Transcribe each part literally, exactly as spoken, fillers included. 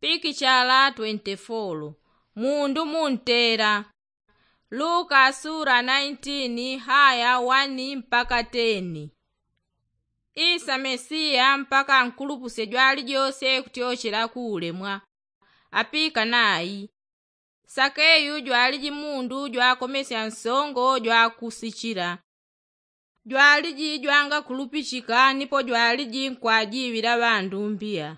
Pikichala twenty-four. Mundu muntela. Luka sura nineteen, haya one mpaka ten. Isa Mesiya mpaka ankulupusye jwali jose kutyochela ku ulemwa. Apika nayi. Sakeyu jwaliji mundu jwakomesya nsongo jwakusichila. Jwaliji jwangakulupichika nipo jwaliji nkwajiŵila ŵandu mbiya.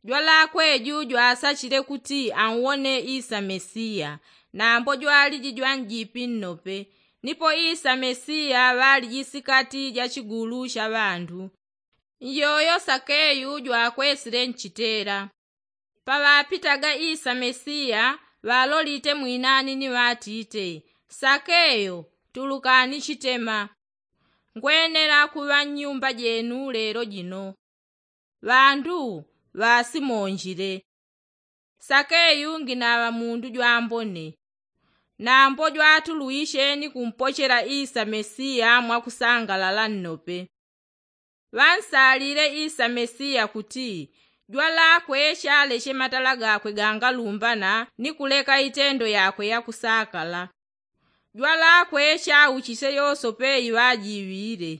Jwalakwe ju jwasachile kuti anwone Isa Mesiya, nambo jwaliji jwanjipi nnope. Nipo Isa Mesiya ŵaliji sikati ja chigulu cha ŵandu. Njoyo Sakeyu jwakwesile nchitela. Paŵapitaga Isa Mesiya, ŵalolite mwinani ni ŵatite, Sakeyo, tulukani chitema. Ngwenela kuŵa nnyumba jenu lelo jino. Ŵandu ŵasimonjile. Sakeyu nginaŵa mundu jwambone. Nambo jwatulwishe ni kumpochela Isa Mesiya mwakusangalala nnope. Ŵansalile Isa Mesiya kuti jwalakwe chaleche matala gakwe gangalumbana ni kuleka itendo yakwe yakusakala. Jwalakwe chauchisye yosope iŵajiŵile.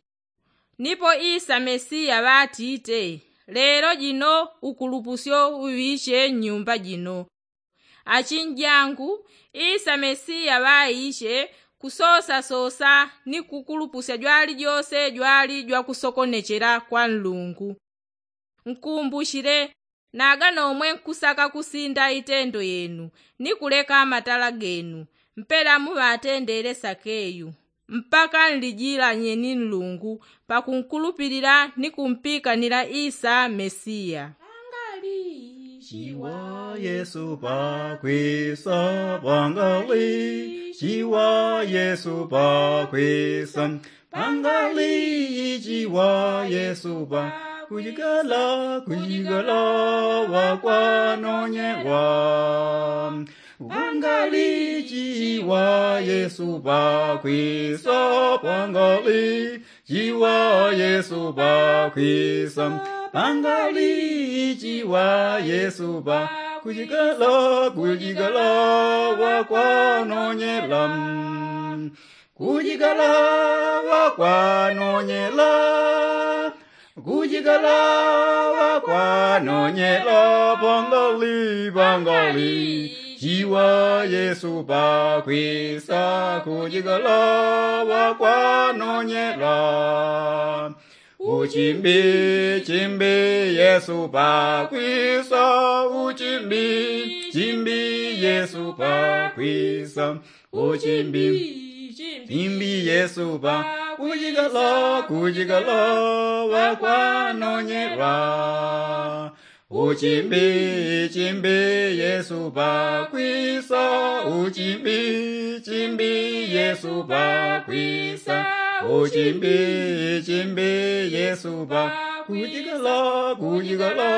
Nipo Isa Mesiya ŵatite, lelo jino ukulupusyo uŵiche nnyumba jino. Achinjangu, Isa Mesiya ŵaiche kusosasosa ni kukulupusya jwali jose jwali jwakusokonechela kwa Nlungu. Nkumbuchile, naga nomwe nkusaka kusinda itendo yenu ni kuleka matala genu, mpela muŵatendele Sakeyu, mpaka nlijilanye ni Nlungu pakunkulupilila ni kumpikanila Isa Mesiya. Pangali chiwa Yesu pakwisa, pangali chiwa Yesu pakwisa, pangali chiwa Yesu pa, kujigala, kujigala ŵakwanonyelwa. Pangali chiwa Yesu pakwisa, pangali chiwa Yesu pakwisa, pangali chiwa Yesu pa, kujigala, kujigala ŵakwanonyela. Kujigala ŵakwanonyela. Kujigala ŵakwanonyela, pangali, pangali chiwa Yesu pakwisa, kujigala ŵakwanonyela. Uchimbi, chimbi Yesu pakwisa, uchimbi, chimbi Yesu pakwisa. Uchimbi, chimbi Yesu pa, kujigala, kujigala ŵakwanonyelwa. Uchimbi, chimbi Yesu pakwisa, uchimbi, chimbi Yesu pakwisa. Uchimbi, chimbi Yesu pa, kujigala, kujigala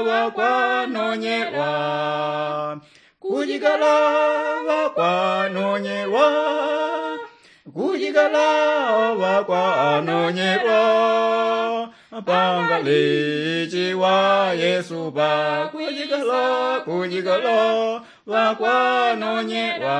ŵakwanonyelwa. Kujigala ŵakwanonyelwa. Kujigala ŵakwanonyelwa. Pangali chiwa Yesu pa, kujigala, kujigala ŵakwanonyelwa.